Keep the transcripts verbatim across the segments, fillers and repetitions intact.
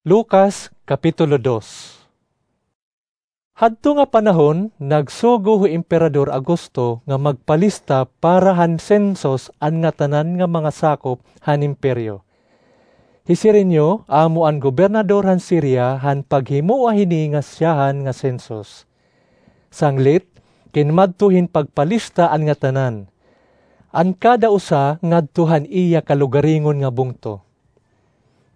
Lucas, Kapitulo dos. Hadto nga panahon, nagsugo hi Emperador Augusto nga magpalista para han sensus an ngatanan nga mga sakop han imperyo. Hi Cirenio amo an gobernador han Siria han paghimoa hini nga syahan nga sensus. Sanglit, kinmadto hin pagpalista an ngatanan, an kada usa ngadto han iya kalugaringon nga bungto.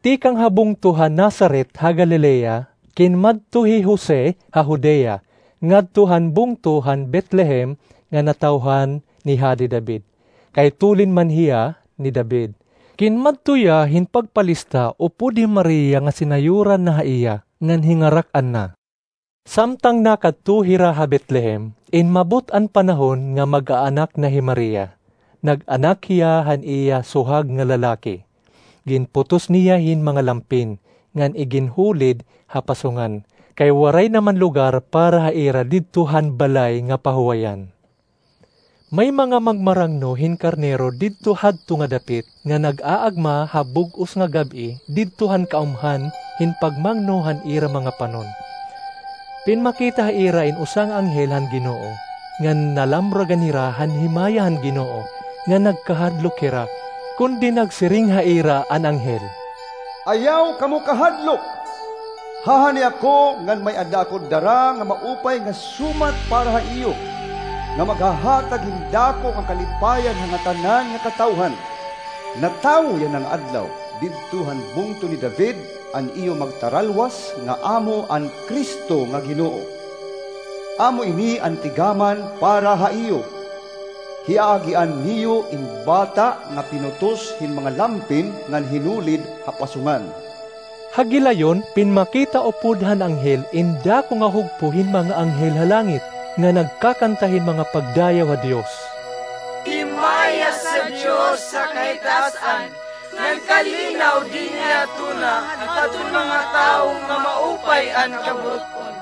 Tikang ha bungto ha Nazaret ha Galilea, kinmadto hi Jose ha Judea, ngadto han bungto han Betlehem nga natawhan ni Hadi David, kay tulin man hiya ni David. Kinmadto hiya hin pagpalista upod hi Maria nga sinayuran na ha iya, ngan hingarak-an na. Samtang nakadto hira ha Betlehem, inmabot an panahon nga mag-aanak na hi Maria. Nag-anak hiya han iya suhag nga lalaki. Ginputos niya hin mga lampin, ngan iginhulid ha pasungan, kay waray naman lugar para ha ira didto han balay nga pahuwayan. May mga magmarangno hin karnero didto hadto nga dapit nga nag-aagma ha bug-os nga gab-i didto han kaumhan hin pagmangno han ira mga panon. Pinmakita ha ira in usa nga anghel han Ginoo, ngan nalamragan hira han himaya han Ginoo, ngan nagkahadlok hira, kundi nagsiring ha ira an anghel, "Ayaw kamo kahadlok! Hahani ako ngan may-ada ako dara nga maupay nga sumat para ha iyo, nga maghahatag hin dako nga kalipayan ha ngatanan nga katawhan. Natawo yana nga adlaw, didto han bungto ni David, an iyo magtaralwas nga amo an Cristo nga Ginoo. Amo ini an tigaman para ha iyo. Hiaagian niyo in bata nga pinutos hin mga lampin ngan hinulid ha pasungan." Ha gilayon, pinmakita upod han anghel in dako nga hugpo hin mga anghel ha langit, nga nagkakanta hin mga pagdayaw ha Dios. Himaya sa Dios ha kahitaas-an, ngan kalinaw dinhi ha tuna, hadton mga tawo nga maupay an kaburut-on.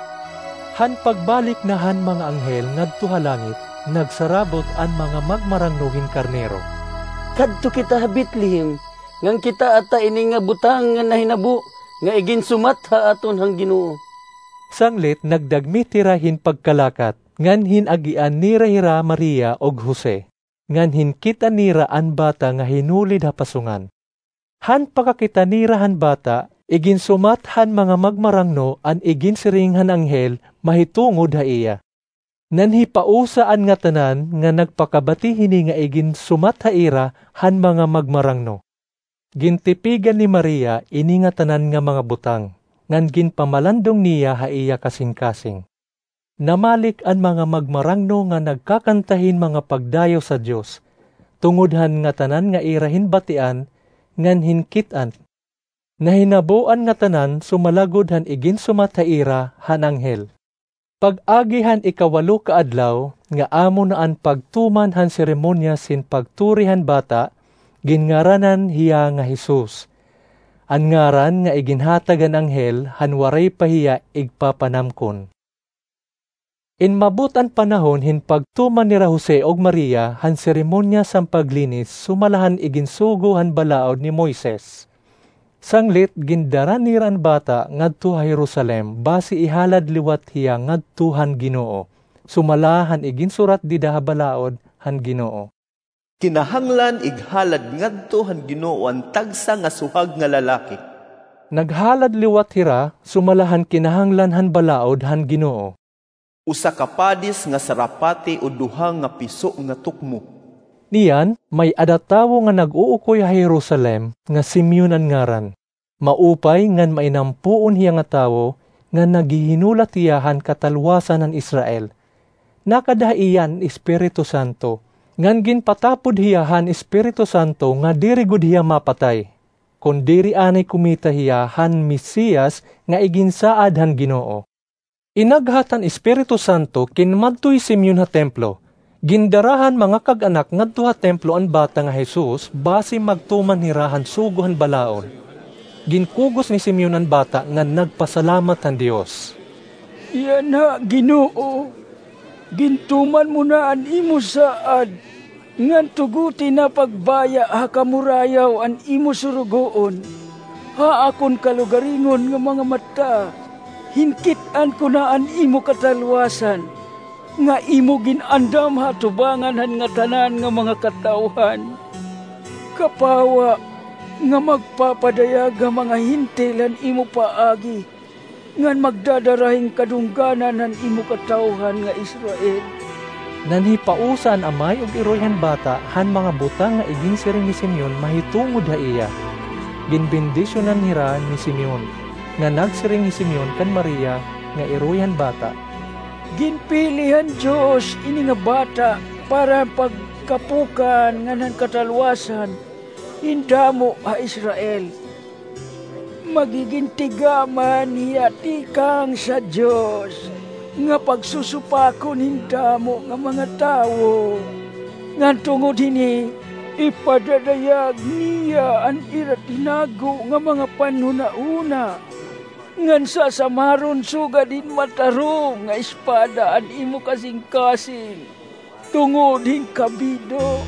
Han pagbalik na han mga anghel ngadto ha langit, nagsarabot an mga magmarangno hin karnero, "Kadto kita ha Betlehem, ngan kitaa ta ini nga butang nga nahinabo, nga iginsumat ha aton han Ginoo." Sanglit nagdagmit hira hin pagkalakat, ngan hin-agian nira hira Maria ug Jose, ngan hinkit-an nira an bata nga hinulid ha pasungan. Han pakakita nira han bata, iginsumat han mga magmarangno an iginsiring han anghel mahitungod ha iya. Nanhipausa an ngatanan nga nagpakabati hini nga iginsumat ha ira han mga magmarangno. Gintipigan ni Maria ini ngatanan nga mga butang, ngan ginpamalandong niya ha iya kasingkasing. Namalik an mga magmarangno nga nagkakanta hin mga pagdayaw sa Dios, tungod han ngatanan nga ira hinbatian ngan hinkit-an. Nahinabo an ngatanan sumalagod han iginsumat ha ira han anghel. Pag-agi han ikawalo ka adlaw, nga amo na an pagtuman han seremonyas hin pagturi han bata, ginngaranan hiya nga Jesus, an ngaran nga iginhatag han anghel han waray pa hiya igpapanamkon. Inmabot an panahon hin pagtuman nira Jose ug Maria han seremonyas han paglinis sumala han iginsugo han balaod ni Moises. Sanglit gindara nira an bata ngadto ha Jerusalem basi ihalad liwat hiya ngadto han Ginoo, sumala han iginsurat dida ha balaod han Ginoo. Kinahanglan ighalad ngadto han Ginoo an tagsa nga suhag nga lalaki. Naghalad liwat hira sumala han kinahanglan han balaod han Ginoo. Usa ka padis nga sarapati o duha nga piso nga tukmo. Niyan, may-ada tawo nga nag-uukoy ha Jerusalem nga Simeon an ngaran. Maupay ngan mainampoon hiya nga tawo, ngan naghihinulat hiya han katalwasan han Israel. Nakada ha iya an Espiritu Santo, ngan ginpatapod hiya han Espiritu Santo nga diri gud hiya mapatay, kon diri anay kumita hiya han Mesiyas nga iginsaad han Ginoo. Inaghat han Espiritu Santo, kinmadto hi Simeon ha templo. Gindara han mga kag-anak ngadto ha templo an bata nga Jesus basi magtuman hira han sugo han balaod. Ginkugos ni Simeon an bata ngan nagpasalamat han Dios. Yana, Ginoo, gintuman mo na an imo saad, ngan tuguti na pagbaya ha kamurayaw an imo surugoon. Ha akon kalugaringon nga mga mata, hinkit-an ko na an imo katalwasan, nga imo gin-andam ha atubangan han ngatanan nga mga katawhan. Kapawa nga magpapadayag ha mga Hentil han imo paagi, ngan magdadara hin kadungganan han imo katawhan nga Israel. Nanhipausa an amay ug iroy han bata han mga butang nga iginsiring ni Simeon mahitungod ha iya. Ginbendisyonan hira ni Simeon, ngan nagsiring hi Simeon kan Maria nga iroy han bata, Ginpili han Dios ini nga bata para pagkapukan ngan han katalwasan hin damo ha Israel. Magigin tigaman hiya tikang sa Dios nga pagsusupakon hin damo nga mga tawo. Ngan tungod hini, ipadadayag niya an ira tinago nga mga panhunahuna, ngan sasamaron sugad hin matarom nga espada an imo kasingkasing tungod hin kabido.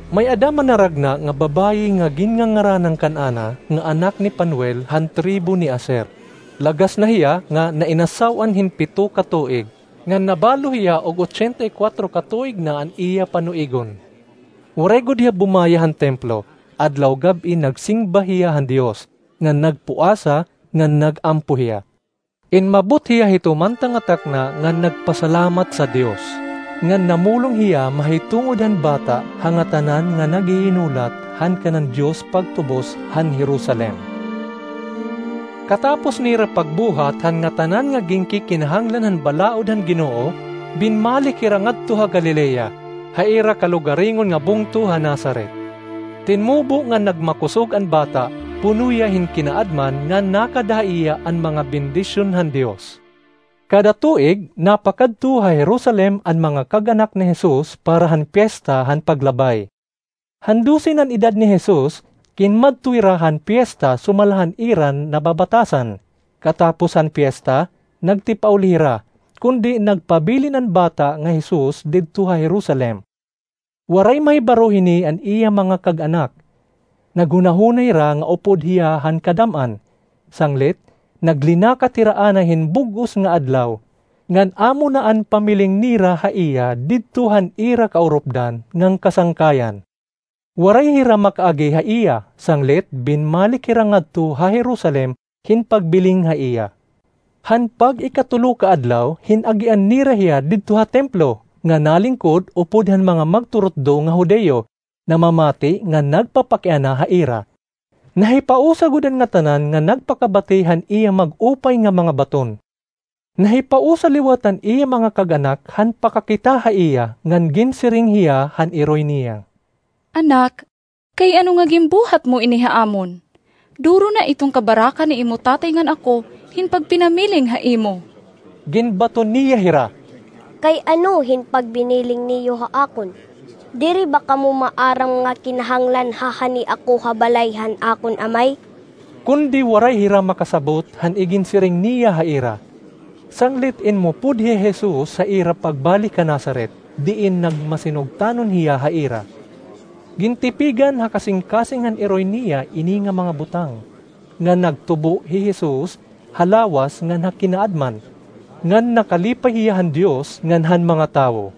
May-ada manaragna nga babayi nga ginngangaranan kan Ana nga anak ni Panuel han tribo ni Aser. Lagas na hiya nga nainasaw-an hin pito ka tuig, ngan nabalo hiya og ochenta y kuwatro ka tuig na an iya panuigon. Waray gud hiya bumaya han templo, adlaw gab-i nagsimba hiya han Dios, ngan nagpuasa, ngan nag-ampo hiya. Inmabot hiya hito manta nga takna ngan nagpasalamat sa Dios. Ngan namulong hiya mahitungod han bata ha ngatanan nga naghihinulat han kanan Dios pagtubos han Jerusalem. Katapos nira pagbuhat han ngatanan nga ginkikinahanglan han balaod han Ginoo, binmalik hira ngadto ha Galilea, ha ira kalugaringon nga bungto ha Nazaret. Tinmubo ngan nagmakusog an bata, puno hiya hin kinaadman ngan nakada ha iya an mga bendisyon han Dios. Kada tuig, napakadto ha Jerusalem an mga kag-anak ni Jesus para han Piesta han Paglabay. Han dose nan edad ni Jesus, kinmadto hira han piesta sumala han ira nababatasan. Katapos han piesta, nagtipauli hira, kundi nagpabilin an bata nga Jesus didto ha Jerusalem. Waray mahibaro hini an iya mga kag-anak. Naghunahuna hira nga upod hiya han kadam-an. Sanglit, naglinakat hira anay hin bug-os nga adlaw, ngan amo na an pamiling nira ha iya didto han ira kaurupdan ngan kasangkayan. Waray hira makaagi ha iya, sanglit binmalik hira ngadto ha Jerusalem hin pagbiling ha iya. Han pag-ikatulo ka adlaw, hin-agian nira hiya didto ha templo, nga nalingkod upod han mga magturutdo nga Judio, namamati nga nagpapakiana ha ira. Nahipausa gud an ngatanan nga nagpakabati han iya mag-upay nga mga baton. Nahipausa liwat an iya mga kag-anak han pakakita ha iya ngan ginsiring hiya han iroy niya. Anak, kay ano nga ginbuhat mo ini ha amon? Duro na iton kabaraka ni imo tatay ngan ako hin pagpinamiling ha imo. Ginbaton niya hira, Kay ano hin pagbiniling niyo ha akon? Diri ba kamo maaram nga kinahanglan hahani ako ha balay han akon amay? Kundi waray hira makasabot han iginsiring niya ha ira. Sanglit inmupod hi Jesus ha ira pagbalik ha Nazaret, diin nagmasinugtanon hiya ha ira. Gintipigan ha kasingkasing han iroy niya ini nga mga butang, ngan nagtubo hi Jesus ha lawas ngan ha kinaadman, ngan nakalipay hiya han Dios ngan han mga tawo.